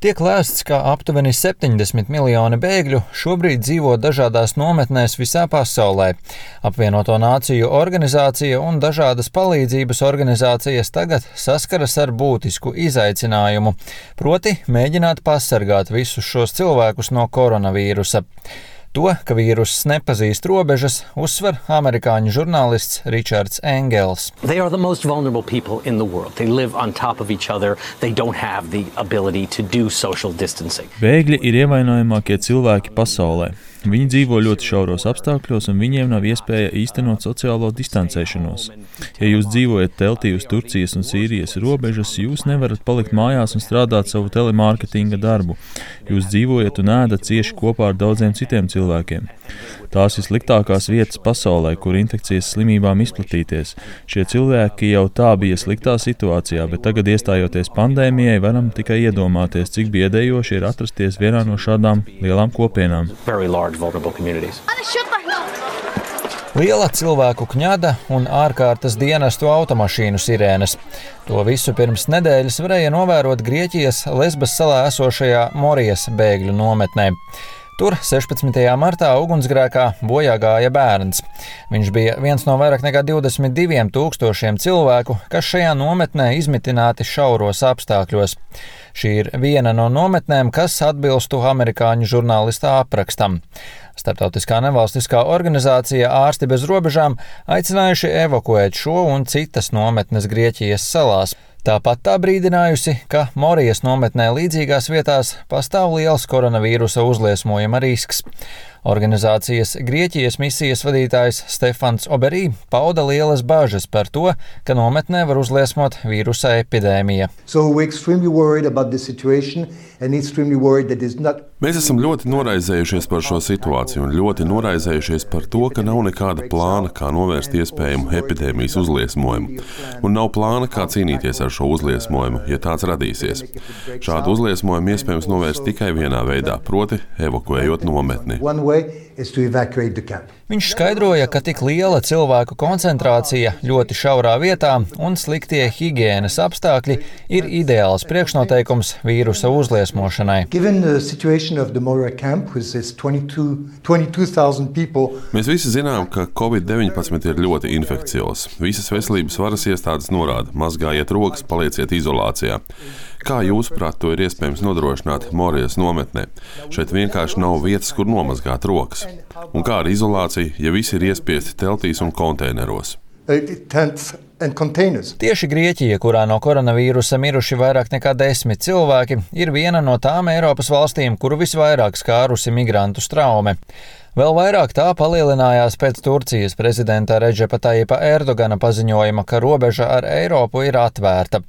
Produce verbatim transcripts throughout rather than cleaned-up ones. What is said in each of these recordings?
Tiek lēsts, ka aptuveni septiņdesmit miljoni bēgļu šobrīd dzīvo dažādās nometnēs visā pasaulē. Apvienoto Nāciju organizācija un dažādas palīdzības organizācijas tagad saskaras ar būtisku izaicinājumu, proti mēģināt pasargāt visus šos cilvēkus no koronavīrusa. To, ka vīruss nepazīst robežas, uzsver amerikāņu žurnālists Ričards Engels. They are the most vulnerable people in the world. They live on top of each other. They don't have the ability to do social distancing. Bēgļi ir ievainojamākie cilvēki pasaulē. Viņi dzīvo ļoti šauros apstākļos, un viņiem nav iespēja īstenot sociālo distancēšanos. Ja jūs dzīvojat teltī uz Turcijas un Sīrijas robežas, jūs nevarat palikt mājās un strādāt savu telemārketinga darbu. Jūs dzīvojat un ēdat cieši kopā ar daudziem citiem cilvēkiem. Tās ir sliktākās vietas pasaulē, kur infekcijas slimībām izplatīties. Šie cilvēki jau tā bija sliktā situācijā, bet tagad iestājoties pandēmijai, varam tikai iedomāties, cik biedējoši ir atrasties vienā no šādām lielām kopienām. Liela cilvēku kņada un ārkārtas dienestu automašīnu sirēnes. To visu pirms nedēļas varēja novērot Grieķijas Lesbas salā esošajā Morijas bēgļu nometnē. Tur sešpadsmitajā martā ugunsgrēkā bojā gāja bērns. Viņš bija viens no vairāk nekā divdesmit diviem tūkstošiem cilvēku, kas šajā nometnē izmitināti šauros apstākļos. Šī ir viena no nometnēm, kas atbilstu amerikāņu žurnālista aprakstam. Starptautiskā nevalstiskā organizācija Ārsti bez robežām aicinājuši evakuēt šo un citas nometnes Grieķijas salās. Tāpat tā brīdinājusi, ka Morijas nometnē līdzīgās vietās pastāv liels koronavīrusa uzliesmojuma risks. Organizācijas Grieķijas misijas vadītājs Stefans Oberī pauda lielas bažas par to, ka nometnē var uzliesmot vīrusa epidēmija. So not... Mēs esam ļoti noraizējušies par šo situāciju un ļoti noraizējušies par to, ka nav nekāda plāna, kā novērst iespējamu epidēmijas uzliesmojumu. Un nav plāna, kā cīnīties ar šo uzliesmojumu, ja tāds radīsies. Šādu uzliesmojumu iespējams novērst tikai vienā veidā, proti evakuējot nometni. Viņš skaidroja, ka tik liela cilvēku koncentrācija ļoti šaurā vietā un sliktie higienas apstākļi ir ideāls priekšnoteikums vīrusa uzliesmošanai. Mēs visi zinām, ka covid deviņpadsmit ir ļoti infekcios. Visas veselības varas iestādes norāda: mazgājiet rokas, palieciet izolācijā. Kā jūsuprāt, to ir iespējams nodrošināt Morijas nometnē? Šeit vienkārši nav vietas, kur nomazgāt rokas. Un kā ar izolāciju, ja visi ir iespiesti teltīs un konteineros? Tieši Grieķija, kurā no koronavīrusa miruši vairāk nekā desmit cilvēki, ir viena no tām Eiropas valstīm, kuru visvairāk skārusi migrantu traume. Vēl vairāk tā palielinājās pēc Turcijas prezidenta Redžepa Tajipa Erdogana paziņojuma, ka robeža ar Eiropu ir atvērta.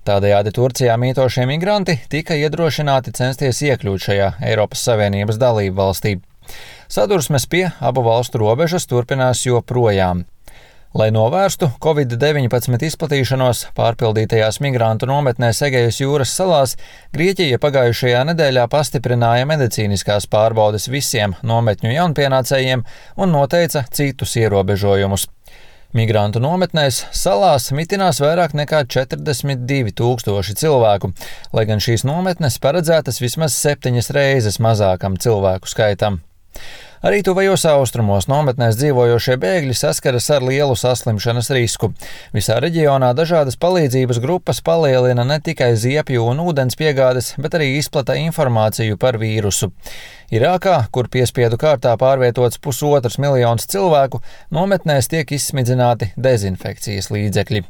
Tādējādi Turcijā mītošie migranti tika iedrošināti censties iekļūt šajā Eiropas Savienības dalību valstī. Sadursmes pie abu valstu robežas turpinās joprojām. Lai novērstu covid deviņpadsmit izplatīšanos pārpildītajās migrantu nometnēs Egejas jūras salās, Grieķija pagājušajā nedēļā pastiprināja medicīniskās pārbaudes visiem nometņu jaunpienācējiem un noteica citus ierobežojumus. Migrantu nometnēs salās mitinās vairāk nekā četrdesmit divi tūkstoši cilvēku, lai gan šīs nometnes paredzētas vismaz septiņas reizes mazākam cilvēku skaitam. Arī tuvajos austrumos nometnēs dzīvojošie bēgļi saskaras ar lielu saslimšanas risku. Visā reģionā dažādas palīdzības grupas palielina ne tikai ziepju un ūdens piegādes, bet arī izplata informāciju par vīrusu. Irākā, kur piespiedu kārtā pārvietots pusotrs miljons cilvēku, nometnēs tiek izsmidzināti dezinfekcijas līdzekļi.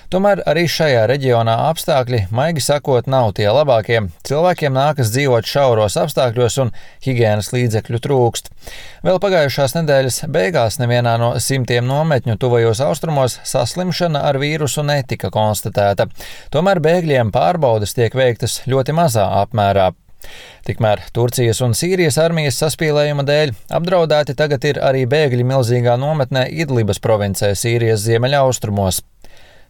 Tomēr arī šajā reģionā apstākļi, maigi sakot, nav tie labākie. Cilvēkiem nākas dzīvot šauros apstākļos un higienas līdzekļu trūkst. Vēl pagājušās nedēļas beigās nevienā no simtiem nometņu tuvajos austrumos saslimšana ar vīrusu netika konstatēta. Tomēr bēgļiem pārbaudes tiek veiktas ļoti mazā apmērā. Tikmēr Turcijas un Sīrijas armijas saspīlējuma dēļ apdraudēti tagad ir arī bēgļi milzīgā nometnē Idlibas provincē Sīrijas ziemeļaustrumos.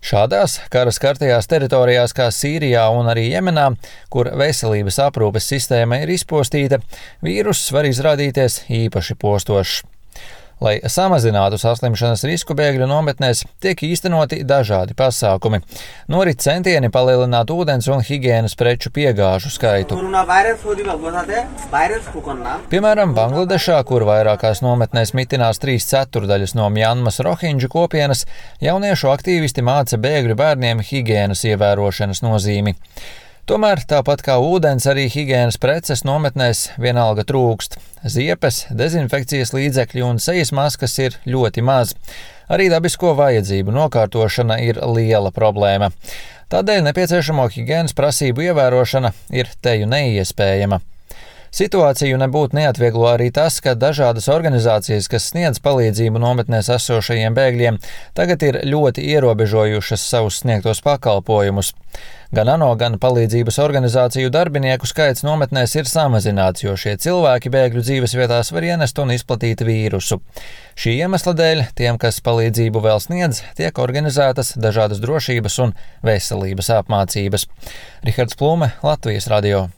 Šādās kara skartajās teritorijās kā Sīrijā un arī Jemenā, kur veselības aprūpes sistēma ir izpostīta, vīruss var izrādīties īpaši postošs. Lai samazinātu saslimšanas risku bēgļu nometnēs, tiek īstenoti dažādi pasākumi. Norit centieni palielināt ūdens un higienas preču piegāžu skaitu. Piemēram, Bangladešā, kur vairākās nometnēs mitinās trīs ceturdaļas no Mjanmas rohinģu kopienas, jauniešu aktīvisti māca bēgļu bērniem higienas ievērošanas nozīmi. Tomēr, tāpat kā ūdens, arī higienas preces nometnēs vienalga trūkst. Ziepes, dezinfekcijas līdzekļi un sejas maskas ir ļoti maz. Arī dabisko vajadzību nokārtošana ir liela problēma. Tādēļ nepieciešamo higienas prasību ievērošana ir teju neiespējama. Situāciju nebūtu neatvieglo arī tas, ka dažādas organizācijas, kas sniedz palīdzību nometnēs esošajiem bēgļiem, tagad ir ļoti ierobežojušas savus sniegtos pakalpojumus. Gan ANO, gan palīdzības organizāciju darbinieku skaits nometnēs ir samazināts, jo šie cilvēki bēgļu dzīvesvietās var ienest un izplatīt vīrusu. Šī iemesla dēļ tiem, kas palīdzību vēl sniedz, tiek organizētas dažādas drošības un veselības apmācības. Rihards Plume, Latvijas radio.